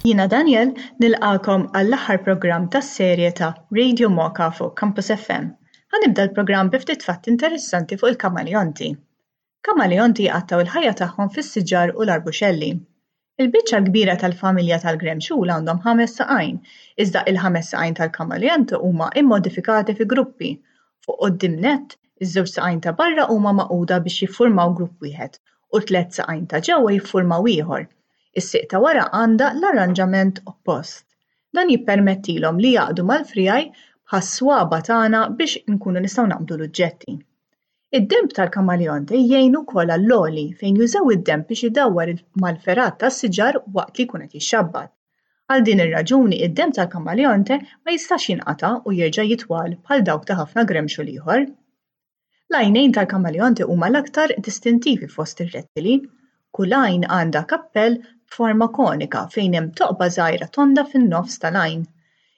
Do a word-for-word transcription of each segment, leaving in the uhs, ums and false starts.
Jiena Daniel nilqagħkom għall-aħħar programm tas-serje ta' Radio Mocha fuq Campus F M. Ħa nibda l-programm bi ftit fatti interessanti fuq il-kamaleonti. Kamaleonti jqattgħu il-ħajja tagħhom fis-siġar u l-arbuxelli. Il-biċċa l-kbira tal-familja tal-gremxul għandhom ħames saqajn, iżda il-ħames saqajn tal-kamaleonti huma immodifikati fi gruppi. Fuq quddiem nett, iż-żewġ saqajn ta' barra huma magħquda biex jiffurmaw grupp wieħed u tliet saqajn ta' ġewwa jiffurmaw ieħor. Is-sieq ta' wara għandha l-arranġament oppost. Dan jippermettilhom li jaqdu mal-friegħi bħas-swaba' tagħna biex inkunu nistgħu naqbdu l-oġġetti. Id-denb tal-kamaleonte jgħin ukoll għall-għoli, fejn jużaw id-denb biex idawwar mal-fergħat tas-siġar waqt li jkun qed jixxabbat. Għal din ir-raġuni, id-denb tal-kamaleonte ma jistax jinqata' u jerġa' jitwal bħal dawk ta' ħafna gremxul ieħor. L-għajnejn tal-kamaleonte huma l-aktar distintivi fost ir-rettili. Kull għajn għandha kappell b'forma konika fejn hemm toqba żgħira tonda fin-nofs tal-għajn.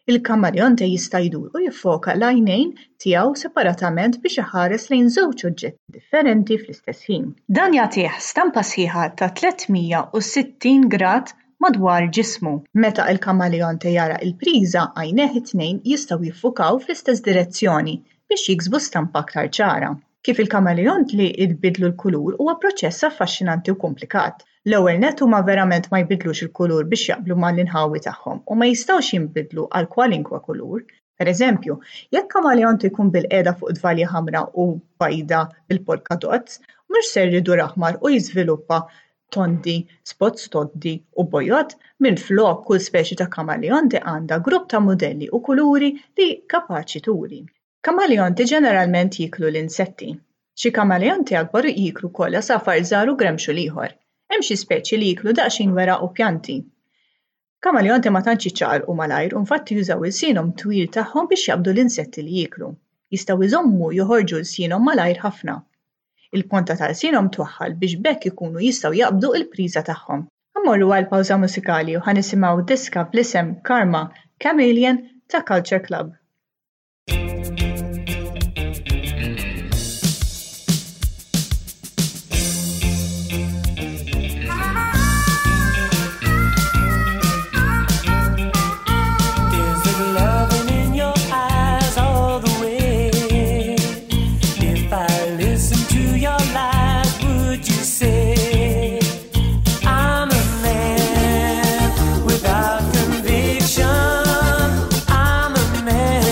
Il-kamaleonte jista' jdur u jiffoka l-għajnejn tiegħu separatament biex iħares lejn żewġ oġġetti differenti fl-istess ħin. Dan jagħtih stampa sħiħa ta' tliet mija u sittin grad madwar ġismu. Meta il-kamaleonte jara l-priża, għajnejh it-tnejn jistgħu jiffukaw fl-istess direzzjoni biex jiksbu stampa aktar ċara. Kif il-kamaleonti jbiddlu l-kulur huwa proċess affaxxinanti u komplikat. L-ewwel nett, huma verament ma jbiddlux il-kulur biex jaqblu mal-inħawi tagħhom u ma jistgħux jinbidlu għal kwalinkwa kulur. Per eżempju, jekk kamaleonte jkun bilqiegħda fuq tvalja ħamra u bajda bil-polka dots, mhux ser idur aħmar u jiżviluppa tondi, spots tondi u bojod. Minflok, kull speċi ta' kamaleonte għandha grupp ta' modelli u kuluri li kapaċi turi. Kamaleonti ġeneralment jiklu l-insetti. Xi kamaleonti akbar jiklu wkoll għasafar żgħar u gremxul ieħor. Hemm xi speċi li jiklu daqsxejn weraq u pjanti. Kamaleonti ma tantx jiċċaqalqu malajr u infatti jużaw ilsienhom twil tagħhom biex jaqbdu l-insetti li jieklu. Jistgħu jżommu joħorġu lsienhom malajr ħafna. Il-ponta ta' lsienhom twaħħal biex b'hekk ikunu jistgħu jaqbdu l-priża tagħhom. Immorru għal pawża mużikali u ħa nisimgħu diska bl-isem Karma Chameleon ta' Culture Club. Is it loving in your eyes all the way? If I listen to your lies, would you say I'm a man without conviction? I'm a man.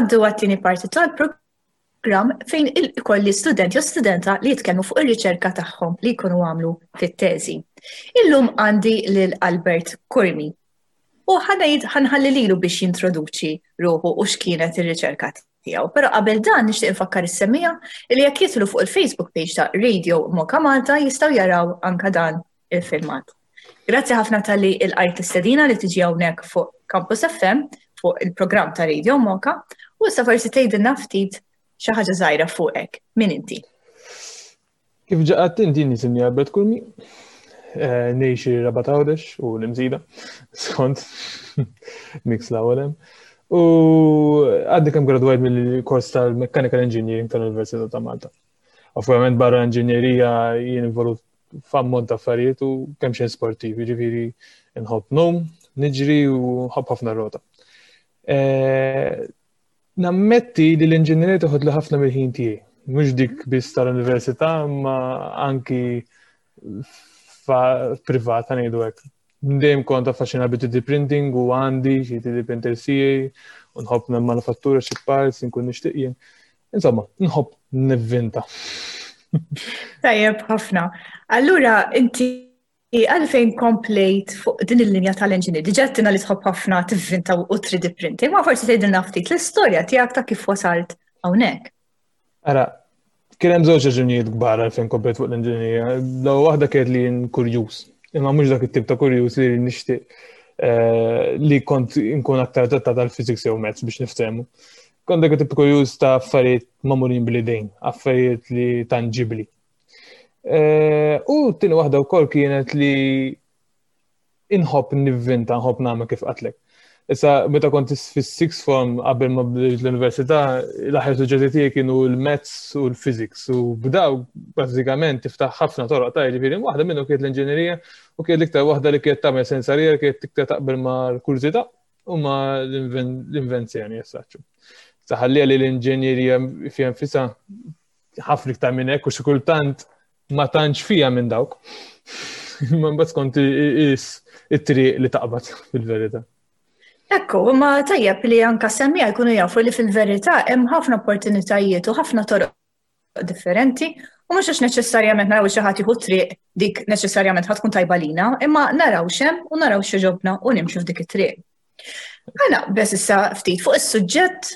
Ngħaddu għat-tieni parti tal-programm fejn ikolli student jew studenta li jitkellmu fuq ir-riċerka tagħhom li jkunu għamlu fit-teżi. Illum għandi lil Albert Curmi. U ħa nħalli lilu biex jintroduċi ruħu u x'kienet ir-riċerka tiegħu. Però qabel dan nixtieq infakkar is-semmiegħa li jekk jidħlu fuq il-Facebook page ta' Radio Moka Malta jistgħu jaraw anka dan il-filmat. Grazzi ħafna talli lqajt l-istedina li tiġi hawnhekk fuq Campus F M fuq il-programm ta' Radio Moka u issa forsi tgħidilna ftit xi ħaġa żgħira fuqek. Min inti? Kif ġa għedt inti, jisimni Albert Curmi, eh, ngħix Rabat, Għawdex u l-Imsida, skont mix l-għawlem. U għadni kemm gradwajt mill-kors tal-Mechanical Engineering tal-Università ta' Malta. Ovvjament barra inġinjerija jien involut f'ammont ta' affarijiet u kemm xejn sportiv, jiġifieri nħobb ngħum, niġri u nħobb ħafna rota. Eh, nammetti li l-inġinjerija toħodli ħafna mill-ħin tiegħi. Mhux dik biss tal-università, ma anki privata, ngħidu hekk. Dejjem kont affaxxinat bi three D printing u għandi xi three D printer tiegħi u nħobb manifattura xi parts nkun nixtieq jien. Insomma, nħobb nivvinta. Tajjeb ħafna. Allura inti għalfejn komplejt fuq din il-linja tal-engineer? Diġà għedtilna li tħobb ħafna tivvinta u three D printing, ma forsi tgħidilna ftit l-istorja tiegħek ta' kif wasalt hawnhekk. Ara, kien hemm żewġ raġunijiet kbar għalfejn komplejt fuq l-inġinerija. L-ewwel waħda kienet li jien kurjuż. Imma mhux dak it-tip ta' kurjuż li nixtieq eh, li kont nkun aktar adattat għal physics jew maths, biex niftehmu. Kont dak it-tip kurjuż ta' affarijiet magħmulin bl-idejn, affarijiet li tangibli. Eh, u t-tieni waħda wkoll kienet li inħobb nivvinta, nħobb nagħmel, kif għedtlek. Issa, meta kont fis-sixth form, qabel ma bdejt l-università, l-aħjar suġġetti tiegħi kienu l-maths u l-physics u b'daw bażikament tiftaħ ħafna toroq ta' jiġifieri waħda minnhom kienet l-inġinerija u kienet l-iktar waħda li kienet tagħmel sens għalija, li kienet iktar taqbel mal-kurżità u ma l-invenzjoni jessaċu. Saħallija li l-inġinerija fiha nfisha ħafna iktar minn hekk u xi kultant ma tantx fija minn dawk. Ma mbagħad skont is it-triq li taqbad, fil-verità. Ekku, ma tajjeb li anka semmiegħa jkunu jafu li fil-verità hemm ħafna opportunitajiet u ħafna toroq differenti u mhux għax neċessarjament naraw xi ħadd jieħu triq dik neċessarjament ħa tkun tajba lina, imma naraw x'hemm u naraw x'jogħġobna u nimxu f'dik it-triq. Ħa naqbeż issa ftit fuq is-suġġett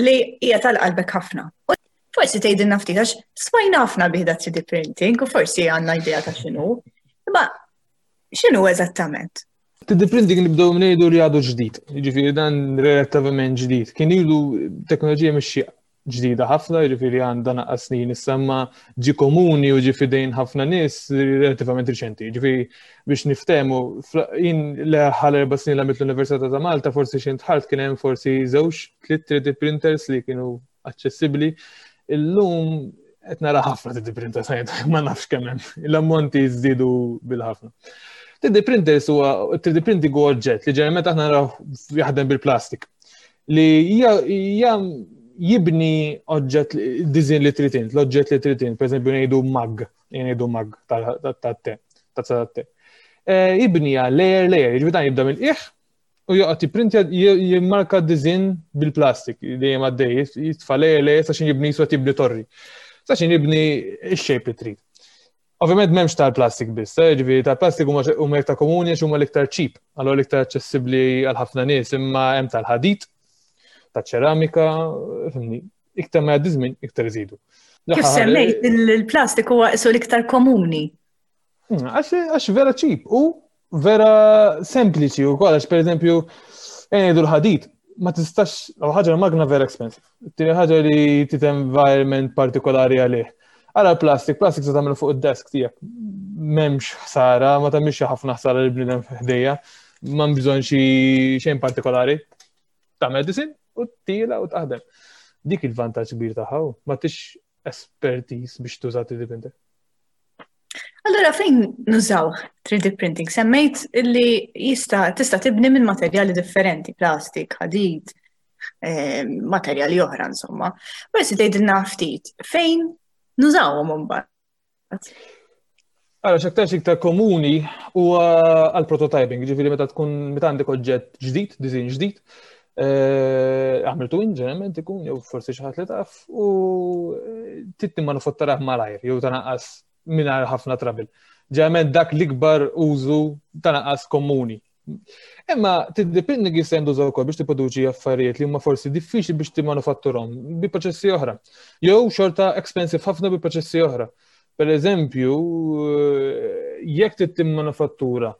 li hija tal-qalbek ħafna. U forsi tgħidilna ftit, għax smajna ħafna bih da three D printing u forsi għandna idea ta' x'inhu. Imma x'inhu eżattament? three D printing nibdew ngħidu li għadu ġdid, jiġifieri dan relattivament ġdid. Kien ilu teknoloġija mhix xi ġdida ħafna, jiġifieri għandha naqra snin issa, ma ġi komuni u ġi fidejn ħafna nies relattivament riċenti. Jiġifieri biex niftehmu, jien l-aħħar erba' snin li għamilt l-Università ta' Malta, forsi xi dħalt kien hemm forsi żewġ, tliet three D printers li kienu aċċessibbli. Illum qed nara ħafna three D printers, ma nafx kemm hemm. L-ammonti żdiedu bil-ħafna. three D printers huwa three D printing huwa oġġett li ġeneralment aħna naraw jaħdem bil-plastik. Li hija jibni oġġett, design li trid int, l-oġġett li trid int, pereżempju ngħidu mug, ngħidu mug tat-te, tazza tat-te. Jibni layer layer, jiġifieri dan jibda mill-qiegħ u joqgħod jipprintja, jimmarka design bil-plastik dejjem għaddej, jitfa' layer layer sa jibni swa tibni torri. Sa jibni x-shape li trid. Ovvjament m'hemmx tal-plastik biss, eh, ġifieri tal-plastik huma huma iktar komuni għax huma l-iktar cheap, allura l-iktar aċċessibbli għal ħafna nies, imma hemm tal-ħadid, taċ-ċeramika, fhimni, iktar ma jgħaddi żmien, iktar iżidu. Kif semmejt, il-plastik huwa isu l-iktar komuni. Hmm, għax vera cheap u vera sempliċi u għax per eżempju, ngħidu l-ħadid, ma tistax, l ħaġa, magna vera expensive. Tieni ħaġa li trid environment partikolari għalih. Ara l-plastik, plastik se tagħmlu fuq id-desk tiegħek. M'hemmx ħsara, ma tagħmilx ħafna ħsara lil bniedem ħdejja, ma bżonn xi xejn partikolari. Tagħmel design u tila u taħdem. Dik il-vantaġġ kbir tagħha, ma tix expertise biex tuża three D printer. Allora fejn nużaw three D printing? Semmejt li jista' tista' tibni minn materjali differenti, plastik, ħadid, eh, materjali oħra insomma. Forsi tgħidilna ftit fejn nużawhom imbagħad. Allora, x'aktarx iktar komuni huwa għal prototyping, ġifieri meta tkun meta għandek oġġett ġdid, design ġdid, Eh, għamiltu ġeneralment ikun jew forsi xi ħadd li taf u eh, trid timmanufatturah malajr jew tanqas mingħajr ħafna trouble. Ġeneralment dak l-ikbar użu tanqas komuni. Imma three D printing jista' jintuża wkoll biex tipproduċi affarijiet li huma forsi diffiċli biex timmanufatturhom bi proċessi oħra. Jew xorta expensive ħafna bi proċessi oħra. Per eżempju, eh, jekk trid timmanufattura,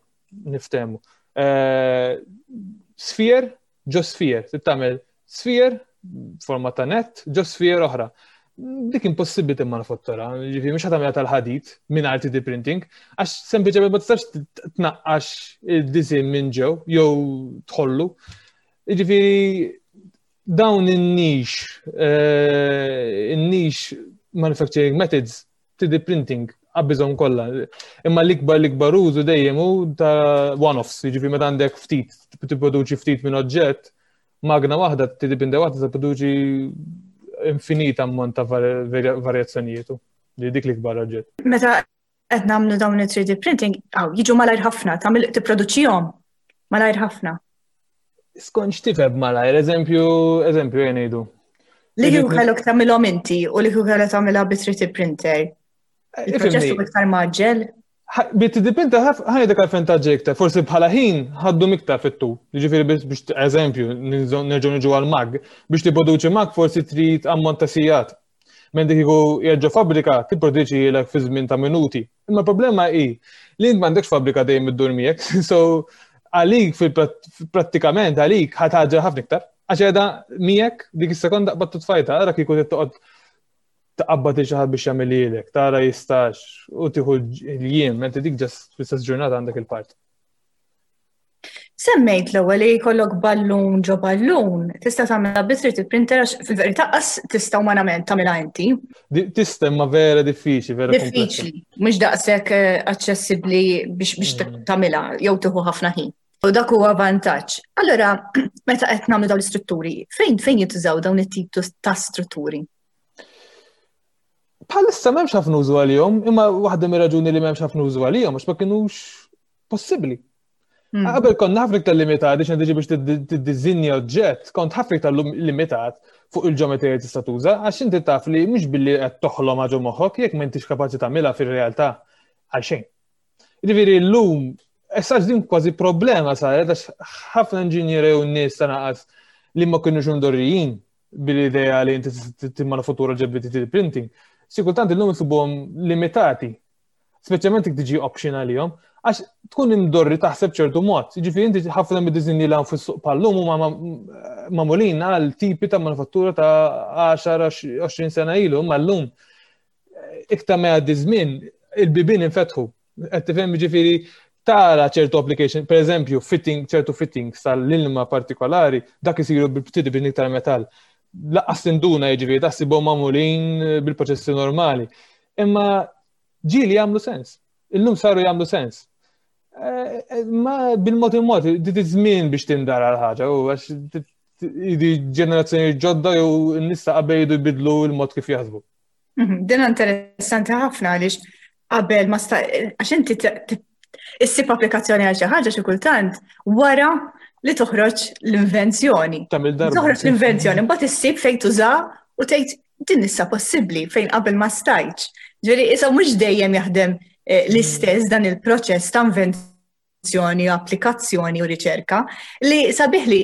niftehmu, sphere ġo sphere, trid tagħmel sphere forma ta' net, ġo sphere oħra. Dik impossibbli timmanufattura, ġifieri mhux tagħmilha tal-ħadid mingħajr three D printing, għax sempliċement ma tistax tnaqqax il-disinn minn ġew jew tħollu. Ġifieri dawn in-niche, eh, in-niche manufacturing methods, three D printing qabbiżhom kollha. Imma l-ikbar l-ikbar użu dejjem hu ta' one-offs, jiġifieri meta għandek ftit, tipproduċi ftit minn oġġett, magna waħda, three D printer waħda tipproduċi infinit ammont ta' varjazzjonijiet. Li dik l-ikbar oġġett. Meta qed nagħmlu dawn it-three D printing, aw jiġu malajr ħafna, tagħmel tipproduċihom malajr ħafna. Skont x'tifhem malajr, eżempju, eżempju jien ngħidu. Li kieku kellek tagħmilhom inti u li kieku kellek tagħmilha bi three D printer. Il-proċess huwa iktar mgħaġġel. Bi three D printer ħa ngħidlek għalfejn tgħaġġel iktar, forsi bħala ħin ħaddu iktar fit-tul. Ġifieri biex eżempju, nerġgħu niġu għal mug, biex tipproduċi mug forsi trid ammont ta' sigħat. Mentri kieku jerġa' fabbrika tipproduċi lek fi żmien ta' minuti. Imma problema hi li int m'għandekx fabbrika dejjem iddur miegħek, so għalik fil-prattikament għalik ħa tgħaġġel ħafna iktar. Għax qiegħda miegħek dik is-sekonda qbadt tfajta, ara kieku toqgħod taqabbad xi ħadd biex jagħmel lilek, tara jistax u tieħu l-jiem, mentri dik just fl-istess ġurnata għandek il-part. Semmejt l-ewwel li jkollok ballun ġo ballun, tista' tagħmilha bi three D printer għax fil-verità qas tista' umanament tagħmilha inti. Tista' ma vera diffiċli, vera diffiċli. Mhux daqshekk eh, aċċessibbli biex biex mm. tagħmilha jew tieħu ħafna ħin. U dak huwa vantaġġ. Allura, meta qed nagħmlu dawn l-istrutturi, fejn fejn jintużaw dawn it-tip ta' strutturi? Bħalissa m'hemmx ħafna użu għalihom, imma waħda mir-raġuni li m'hemmx ħafna użu għalihom għax ma kinux possibbli. Hmm. Qabel konna ħafna iktar limitati x'għandi biex tiddiżinja oġġett, kont ħafna iktar limitat fuq il-ġeometrija tista' tuża, għax inti taf li mhux billi qed toħlom ġo moħħok jekk m'intix kapaċi tagħmilha fir-realtà għal xejn. Jiġifieri llum issa din kważi problema saret għax ħafna inġinieri u nies ta' naqas li ma kienux imdorrijin bil-idea li inti timmanufattura ġebbi three D printing. Xi kultant illum isibuhom limitati, speċjalment jekk tiġi option għalihom, għax tkun imdorri taħseb ċertu mod. Jiġifieri inti ħafna mid-disinji li fis-suq bħal-lum huma magħmulin għal tipi ta' manufattura ta' għaxar għoxrin sena ilu, imma llum iktar ma jgħaddi żmien il-bibien infetħu. Qed tifhem, ġifieri tara ċertu application, per eżempju, fitting, ċertu fittings tal-ilma partikolari, dak isiru bil-three D printing tal-metall. Lanqas tinduna, jiġifieri taħsibhom magħmulin bil-proċessi normali. Imma ġieli jagħmlu sens. Illum saru jagħmlu sens. Eh, eh, ma bil-mod il-mod, di żmien biex tindara l-ħaġa, u għax di ġenerazzjoni ġodda jew n-nisa qabel jridu jbidlu l-mod kif jaħsbu. Mhm, din interessanti ħafna għaliex qabel ma sta għax inti issib applikazzjoni għal xi ħaġa xi kultant wara li toħroġ l-invenzjoni. Toħroġ l-invenzjoni, mbagħad issib fejn tuża u tgħid din issa possibbli fejn qabel ma stajtx. Ġifieri issa mhux dejjem jaħdem eh, l-istess dan il-proċess ta' invenzjoni, applikazzjoni u riċerka li sabiħ li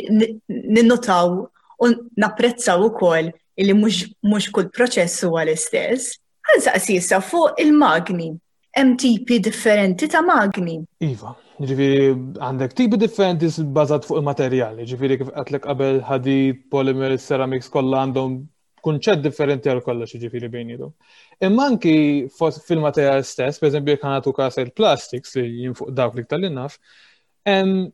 ninnotaw u napprezzaw ukoll li mhux kull proċess huwa l-istess. Ħa nsaqsi issa fuq il-magni. Hemm tipi differenti ta' magni. Iva, ġifieri għandek tipi differenti bażat fuq il-materjali, ġifieri kif għedtlek qabel ħadid, polymer, ceramics kollha għandhom kunċett differenti għal kollox, ġifieri bejniethom. Imma anki fil-materjal stess, per eżempju jekk nagħtu każ il-plastics li jien fuq dawk li iktar li naf, hemm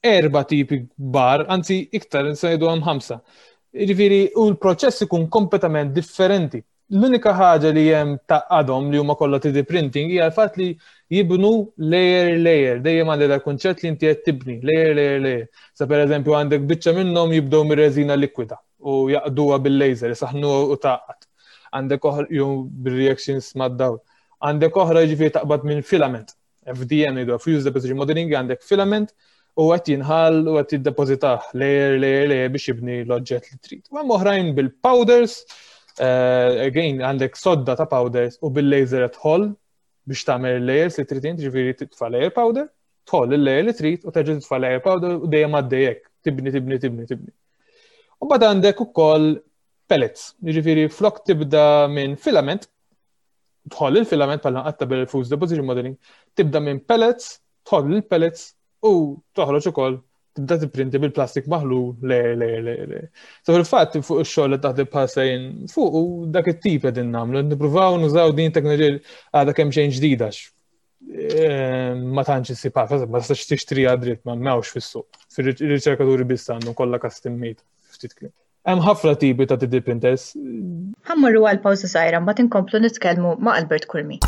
erba' tipi kbar, anzi iktar ngħidu hemm ħamsa. Ġifieri u l-proċess ikun kompletament differenti. L-unika ħaġa li hemm tgħaqqadhom li huma kollha three D printing hija l-fatt li jibnu layer layer, dejjem għandek dal kunċett li inti qed tibni layer layer layer. Sa per eżempju għandek biċċa minnhom jibdew mir-reżina likwida u jgħaqqduha bil-laser, isaħnu u tgħaqqad. Għandek oħra jew bil-reactions mad-dawl. Għandek oħra, ġifieri taqbad minn filament. F D M jgħidu, Fused Deposition Modeling, għandek filament U qed jinħall u qed jiddepożitah layer, layer, layer biex jibni l-oġġett li trid. U hemm oħrajn bil-powders, uh, again għandek sodda ta' powders u bil-laser tħoll biex tagħmel layers li trid inti, ġifieri titfa' layer powder, tħoll il-layer li trid u terġa' titfa' layer powder u dejjem għaddejjek, tibni, tibni, tibni, tibni. U mbagħad għandek ukoll pellets, jiġifieri flok tibda minn filament, tħoll il-filament bħala qatta bil-fused deposition modeling, tibda minn pellets, tħoll il-pellets u toħroġ ukoll tibda tipprinti bil-plastik maħlul layer, layer, layer, layer. So fil-fatt fuq ix-xogħol li taħdem bħalsa jien fuq u dak it-tip qegħdin nagħmlu, nippruvaw nużaw din teknoloġija għadha kemm xejn ġdida eh, ma tantx issib ħafna, ma tistax tixtriha dritt ma m'hawnx fis-suq. Fir-riċerkaturi biss għandhom kollha custom made ftit kliem. Hemm ħafna tipi ta' three D printers. Ħa mmorru għal pawża żgħira, mbagħad inkomplu nitkellmu ma' Albert Curmi.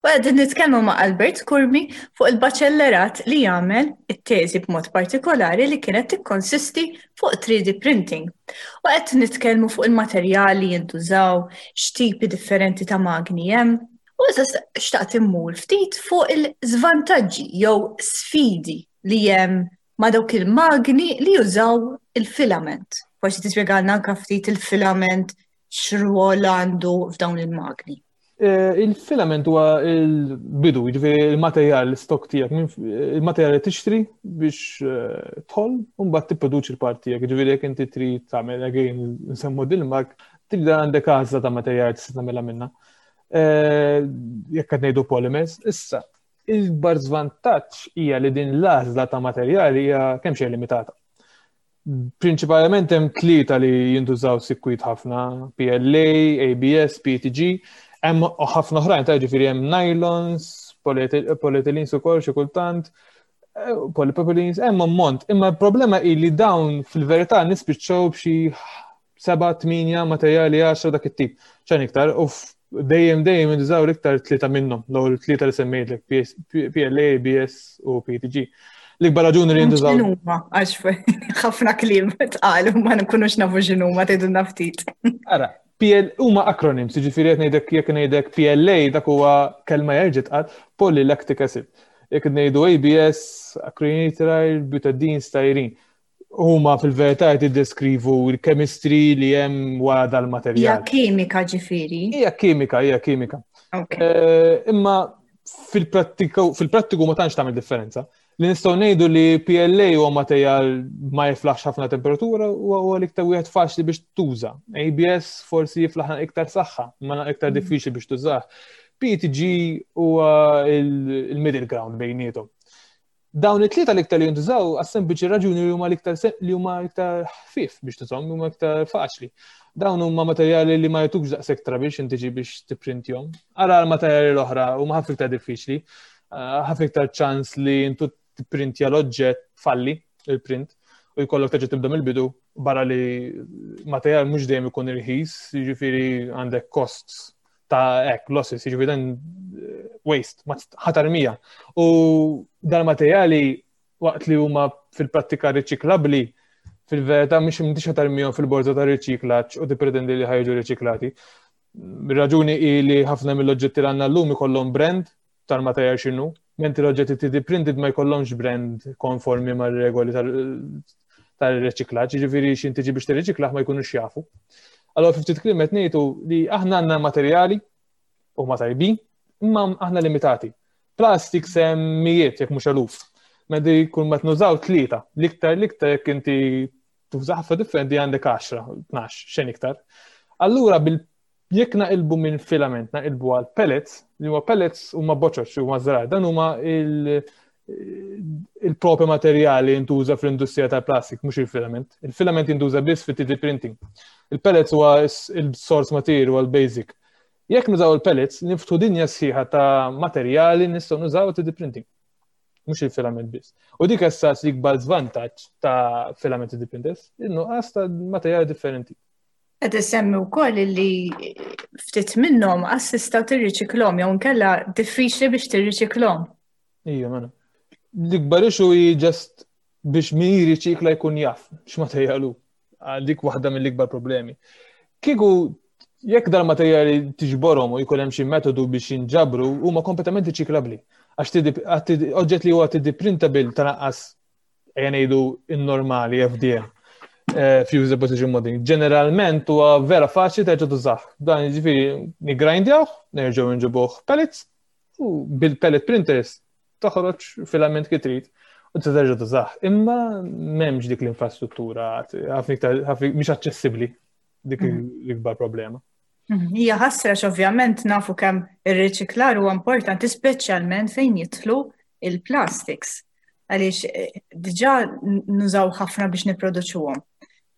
U qegħdin nitkellmu ma' Albert Curmi fuq il-baċellerat li jagħmel it-teżi b'mod partikolari li kienet tikkonsisti fuq three D printing. U qed nitkellmu fuq il-materjali jintużaw, x'tipi differenti ta' magni hemm. U issa xtaqt immur ftit fuq il-żvantaġġi jew sfidi li hemm ma' dawk il-magni li jużaw il-filament. Forsi tispjegalna anke ftit il-filament x'rwol għandu f'dawn il-magni. Eh, il-filament huwa il-bidu, jiġifieri il-materjal, l-stock tiegħek, il-materjal li tixtri biex eh, tħoll u mbagħad tipproduċi l-part tiegħek. Jiġifieri jekk inti trid tagħmel, again nsemmu dil-mug, tibda għandek għażla ta' materjal tista' tagħmilha minnha. Eh, jekk qed ngħidu polymers, issa il-ikbar żvantaġġ hija li din l-għażla ta' materjali hija kemm xejn limitata. Prinċipalment hemm tlieta li jintużaw sikwit ħafna, P L A, A B S, P E T G, hemm ħafna oħrajn ta' ġifieri hemm nylons, polyethylenes ukoll xi kultant, eh, polypropylenes, hemm ammont. Imma l-problema hi li dawn fil-verità nispiċċaw b'xi seba', tmienja materjali, għaxra, dak it-tip. Xejn iktar, u dejjem dejjem jintużaw l-iktar tlieta minnhom, l-ewwel tlieta li semmejtlek, P L A, A B S u P E T G. L-ikbar raġuni li jintużaw. X'inhuma? Għax ħafna kliem tqalu ma nkunux nafu x'inhuma, tgħidulna ftit. Ara, P L huma acronyms, jiġifieri qed ngħidek jekk ngħidek P L A, dak huwa kelma jerġa' tqal, polylactic acid. Jekk ngħidu A B S, acrylonitrile, butadiene, styrene. Huma fil-verità qed jiddeskrivu l-chemistry li hemm wara dal-materjal. Hija kimika ġifieri. Hija kimika, hija kimika. Eh, imma fil-prattiku fil-prattiku ma tantx tagħmel differenza. Li nistgħu ngħidu li P L A huwa materjal ma jiflaħx ħafna temperatura u huwa l-iktar wieħed faċli biex tuża. A B S forsi jiflaħ iktar saħħa, ma iktar mm. diffiċli biex tużah. P E T G huwa il-middle ground bejniethom. Dawn it-tlieta l-iktar li jintużaw għas-sempliċi raġuni li huma l-iktar li huma iktar ħfief biex tużhom, huma iktar faċli. Dawn huma materjali li ma jtukx daqshekk biex inti biex tipprintjhom. Ara l-materjali l-oħra huma ħafna iktar diffiċli, eh, ħafna iktar ċans li intu tipprintja l-oġġett falli il-print u jkollok terġa' tibda mill-bidu, barra li materjal mhux dejjem ikun irħis, jiġifieri għandek costs ta' ek, losses, jiġifieri dan eh, waste, ħa tarmiha. U dal-materjali waqt li huma fil-prattika riċiklabli, fil-verità mhux m'intix ħa tarmihom fil-borza ta' riċiklaġġ u tippretendi li ħa jiġu riċiklati. Raġuni hi li ħafna mill-oġġetti li għandna llum ikollhom brand tal-materjal x'inhu, mentri l-oġġetti three D printed ma jkollhomx brand konformi mar-regoli tal-riċiklaġġ, jiġifieri x'ħin tiġi biex tirriċiklaħ ma jkunux jafu. Allora fi ftit kliem qed ngħidu li aħna għandna materjali u ma tajbin, imma aħna limitati. Plastik semmijiet jekk mhux eluf. Mentri kull ma nużaw tlieta, l-iktar l-iktar jekk inti tuża ħafna differenti għandek għaxra, tnax, xejn iktar. Allura bil jekk naqilbu minn filament, naqilbu għal pellets, li huma pellets huma boċoċ, huma żrar, dan huma il- il-propri materjali jintuża fl-industrija tal-plastik, mhux il-filament. Il-filament jintuża biss fit-three D printing. Il-pellets huwa il-source material, huwa l-basic. Jekk nużaw il-pellets, niftħu dinja sħiħa ta' materjali nistgħu nużaw three D printing. Mhux il-filament biss. U dik issa l-ikbar żvantaġġ ta' filament three D printers, in-nuqqas ta' materjali differenti. Qed isemmi wkoll li ftit minnhom assista tirriċiklhom jew inkella diffiċli biex tirriċiklhom. Ija, mela. L-ikbar issue hi just biex min jirriċikla jkun jaf x'materjal hu. Dik waħda mill-ikbar problemi. Kieku jekk dal-materjali tiġborhom u jkun hemm xi metodu biex jinġabru, huma kompletament riċiklabbli. Għax oġġett li huwa three D printable, tal-anqas ejja ngħidu in-normali F D M, eh, Fused Deposition Modeling. Ġeneralment huwa vera faċli terġa' tużah. Dan jiġifieri niggrindjawh, nerġgħu nġibuh pellets u bil-pellet printers toħroġ filament kif trid u terġa' tużah. Imma m'hemmx dik l-infrastruttura, ħafna iktar mhix aċċessibbli, dik mhm. l-ikbar problema. Mhm. Hija ħasra, ovvjament nafu kemm ir-riċiklar huwa importanti, speċjalment fejn jidħlu il-plastics, għaliex eh, diġà nużaw ħafna biex nipproduċuhom.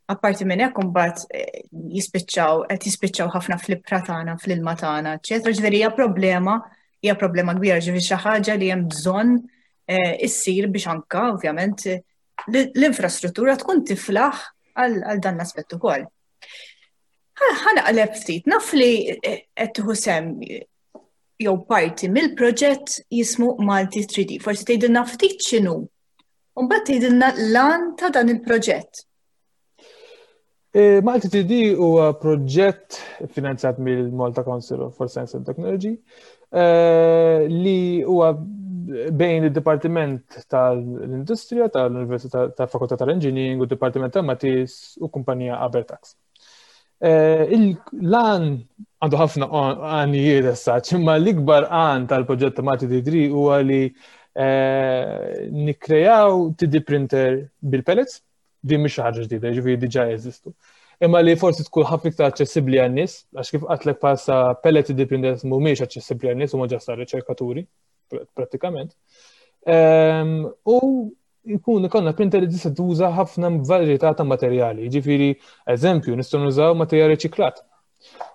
Apparti minn hekk, imbagħad eh, jispiċċaw qed jispiċċaw ħafna fl-ibħra tagħna, fl-ilma tagħna, eċetera. Ġifieri hija problema, hija problema kbira, ġifieri xi ħaġa li hemm bżonn eh, issir biex anka ovvjament l-infrastruttura tkun tiflaħ għal dan l-aspett ukoll. Ħa naqleb ftit, naf li qed tieħu sehem jew parti mill-proġett jismu Malti three D. Forsi tgħidilna ftit x'inhu. U mbagħad tgħidilna l-għan ta' dan il-proġett. E, Malti three D huwa proġett finanzjat mill-Malta Council for Science and Technology e, li huwa bejn il-Dipartiment tal-Industrija tal-Università tal-Fakultà tal-Engineering u d-Dipartiment tal-Matis u kumpanija Abertax. Eh, l-għan għandu ħafna għanijiet issa, imma l-ikbar għan tal-proġett ta' Malti three D huwa li eh, nikkrejaw three D printer bil-pellets, din mhix ħaġa ġdida, ġifieri diġà jeżistu. Imma li forsi tkun ħafna iktar aċċessibbli għan-nies, għax kif għedtlek bħalissa pellet three D printers mhumiex aċċessibbli għan-nies, huma just riċerkaturi prattikament. Ehm, u jkun ikollna printer li tista' tuża ħafna varjetà ta' materjali. Ġifieri, eżempju, nistgħu nużaw materjal riċiklat.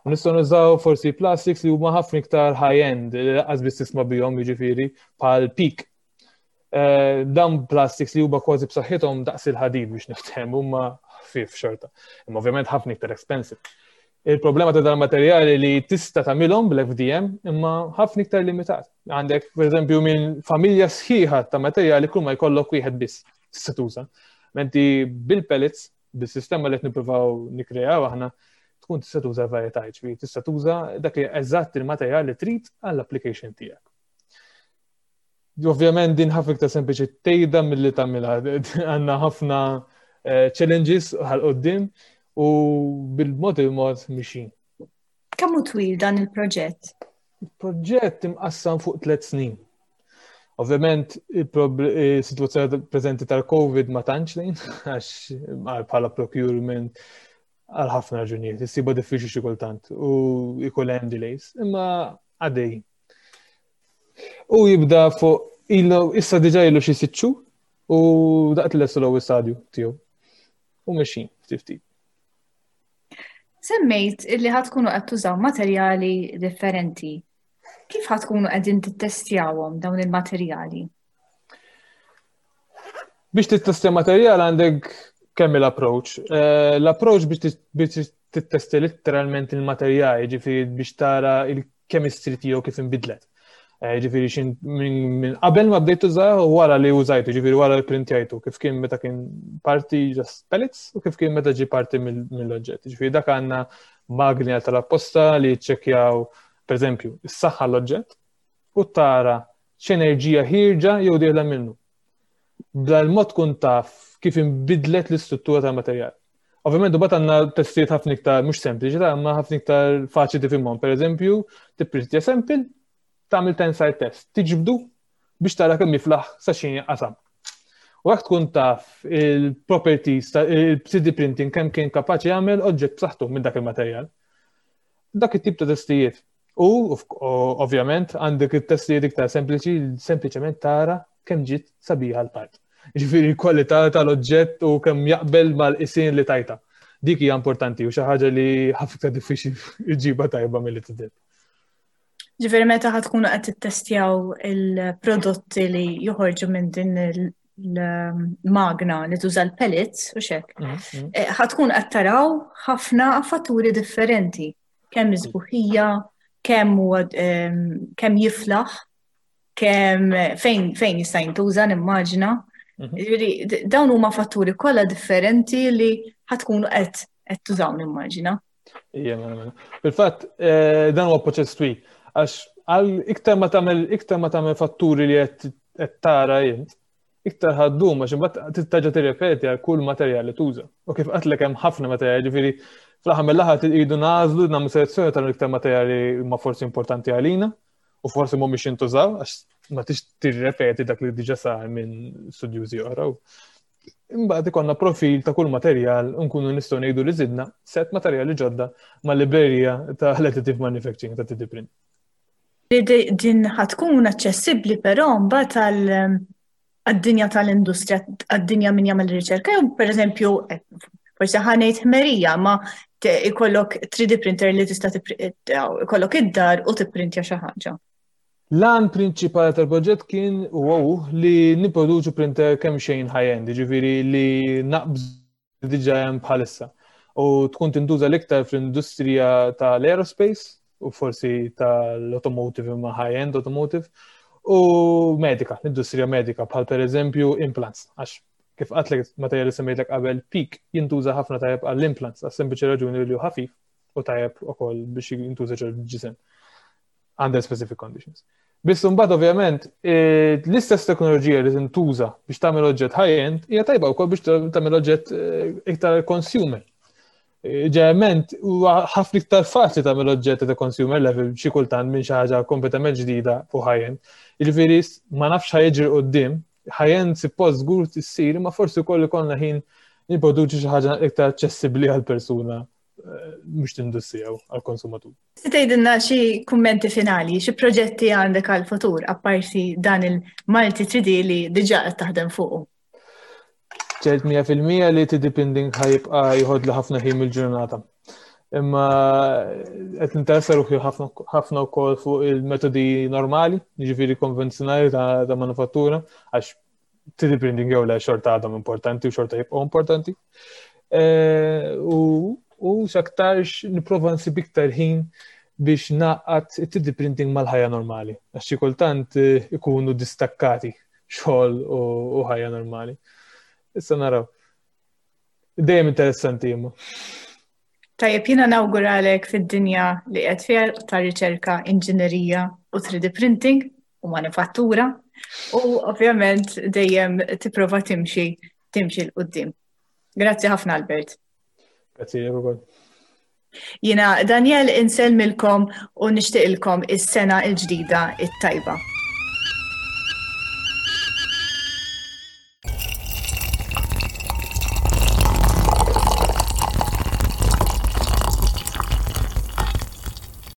U nistgħu nużaw forsi plastics li huma ħafna iktar high-end, li lanqas biss tisma' bihom, jiġifieri bħal PEEK. Eh, dan plastics li huma kważi b'saħħithom daqs il-ħadid, biex niftehmu, huma ħfief xorta. Imma ovvjament ħafna iktar expensive. Il-problema ta' dan materjali li tista' tagħmilhom bl-F D M imma ħafna iktar limitat. Għandek, pereżempju, minn familja sħiħa ta' materjali kull ma jkollok wieħed biss tista' tuża. Mentri bil-pellets, bis-sistema li qed nippruvaw nikkrejaw aħna, tkun tista' tuża varjetà, ġifieri tista' tuża dak li eżatt il-materjal li trid għall-application tiegħek. Ovvjament din ħafna iktar sempliċi tgħidha milli tagħmilha. Għandna ħafna eh, challenges 'l quddiem u bil-mod il-mod mexjin. Kemm hu twil dan il-proġett? Il-proġett imqassam fuq tliet snin. Ovvjament, il-situazzjoni preżenti tal-Covid ma tantx lejn, għax bħala procurement għal ħafna raġunijiet, issibha diffiċli xi kultant u jkun hemm delays, imma għaddej. U jibda fuq ilu, issa diġà ilu xi sitt xhur u daqt l-ewwel stadju tiegħu. U mexjin ftit ftit. Semmejt illi ħa tkunu qed tużaw materjali differenti. Kif ħa tkunu qegħdin tittestjawhom dawn il-materjali? Biex tittestja materjal għandek kemm il-approach. Eh, l-approach biex tittestja letteralment il-materjal, ġifieri biex tara il-chemistry tiegħu kif inbidlet. Eh, ġifieri xin minn qabel ma bdejt tużah u wara li użajtu, ġifieri wara li printjajtu, kif kien meta kien parti just pellets u kif kien meta ġi parti mill-oġġett. Ġifieri dak għandna magni tal-apposta li ċċekkjaw, per eżempju, is-saħħa l-oġġett u tara x'enerġija ħierġa jew dieħla minnu. B'dal-mod tkun taf kif inbidlet l-istruttura tal-materjal. Ovvjament, u għandna testijiet ħafna iktar, mhux sempliċi, ta' imma ħafna iktar faċli tifhimhom. Per eżempju, tipprintja sample, tagħmel tensile test, tiġbdu biex tara kemm jiflaħ sa xi qasam. U hekk tkun taf il-properties il-three D printing kemm kien kapaċi jagħmel oġġett b'saħħtu minn dak il-materjal. Dak it-tip ta' testijiet. U ovvjament għandek it-testijiet iktar sempliċi, sempliċement tara kemm ġiet sabiħa l-part. Ġifieri kwalità tal-oġġett u kemm jaqbel mal-qisien li tajta. Dik hija importanti u xi ħaġa li ħafna iktar diffiċli iġġibha tajba milli tidher. Ġifieri meta ħa tkunu qed tittestjaw il-prodotti li joħorġu minn din il-magna li tuża l-pellets u hekk, mhm, mhm. Eh, ħa tkun qed taraw ħafna fatturi differenti, kemm isbuħija, kemm huwa kemm jiflaħ, kemm fejn fejn jista' jintuża, nimmaġina. Mhm. Ġifieri dawn huma fatturi kollha differenti li ħa tkunu qed qed tużaw, nimmaġina. Ija, mela, mela. Fil-fatt, eh, dan huwa proċess twil għax Għal iktar ma tagħmel iktar ma tagħmel fatturi li qed tara int, iktar ħa ddum għax imbagħad terġa' tirrepeti għal kull materjal li tuża. U kif għedtlek, hemm ħafna materjali, ġifieri fl-aħħar mill-aħħar irridu nagħżlu, nagħmlu selezzjoni tal-iktar materjali ma forsi importanti għalina u forsi mhumiex jintużaw għax ma tix tirrepeti dak li diġà sar minn studjużi oħra. Imbagħad ikollna profil ta' kull materjal u nkunu nistgħu ngħidu li żidna set materjali ġodda mal-librerija ta' additive manufacturing ta' three D print. Din ħa tkun aċċessibbli però mbagħad għad-dinja tal-industrija, għad-dinja min jagħmel riċerka, jew pereżempju, eh, forsi ħa ngħid ħmerija, ma ikollok three D printer li tista' ikollok id-dar u tipprintja xi ħaġa. L-għan prinċipali tal-proġett kien u li nipproduċu printer kemm xejn high-end, ġifieri li naqbżu diġà hemm bħalissa. U tkun tintuża l-iktar fl-industrija tal-aerospace u forsi tal-automotive, imma high-end automotive u medika, l-industrija medika, bħal per eżempju implants, għax kif għedtlek, materjali semmejtlek qabel, PEEK jintuża ħafna tajjeb għall-implants, għas sempliċi raġuni li hu ħafif u tajjeb ukoll biex jintuża ġol ġisem under specific conditions. Biss mbagħad ovvjament eh, l-istess teknoloġija li tintuża biex tagħmel oġġett high-end hija tajba wkoll biex tagħmel oġġett eh, iktar consumer. Eh, ġeneralment huwa ħafna iktar faċli tagħmel oġġett ta' consumer level xi kultant minn xi ħaġa kompletament ġdida fuq high-end. Jiġifieri ma nafx ħa jiġri quddiem, high-end suppost żgur tissir, ma forsi wkoll ikollna ħin nipproduċi xi ħaġa iktar aċċessibbli għal persuna mhux l-industrija, għal-konsumatur. Se tgħidilna xi kummenti finali, xi proġetti għandek għal-futur apparti dan il-Multi three D li diġà qed taħdem fuqu? Ċert mija fil-mija li three D printing ħa jibqa' jieħodli ħafna ħin mill-ġurnata. Imma qed ninteressa ruħi ħafna wkoll fuq il-metodi normali, jiġifieri konvenzjonali ta', ta manufattura, għax three D printing jew le, xorta għadhom importanti u xorta jibqgħu importanti. E, u u x'aktarx nipprova nsib iktar ħin biex ngħaqqad it-three D printing mal-ħajja normali. Għax xi kultant eh, ikunu distakkati xogħol u ħajja normali. Issa naraw. Dejjem interessanti imma. Tajjeb, jiena nawguralek fid-dinja li qed fiha ta' riċerka, inġinerija u three D printing u manifattura u ovvjament dejjem tipprova timxi timxi 'l quddiem. Grazzi ħafna, Albert. Grazzi ukoll. Jiena Daniel insellmilkom u nixtieqilkom is-sena l-ġdida it-tajba.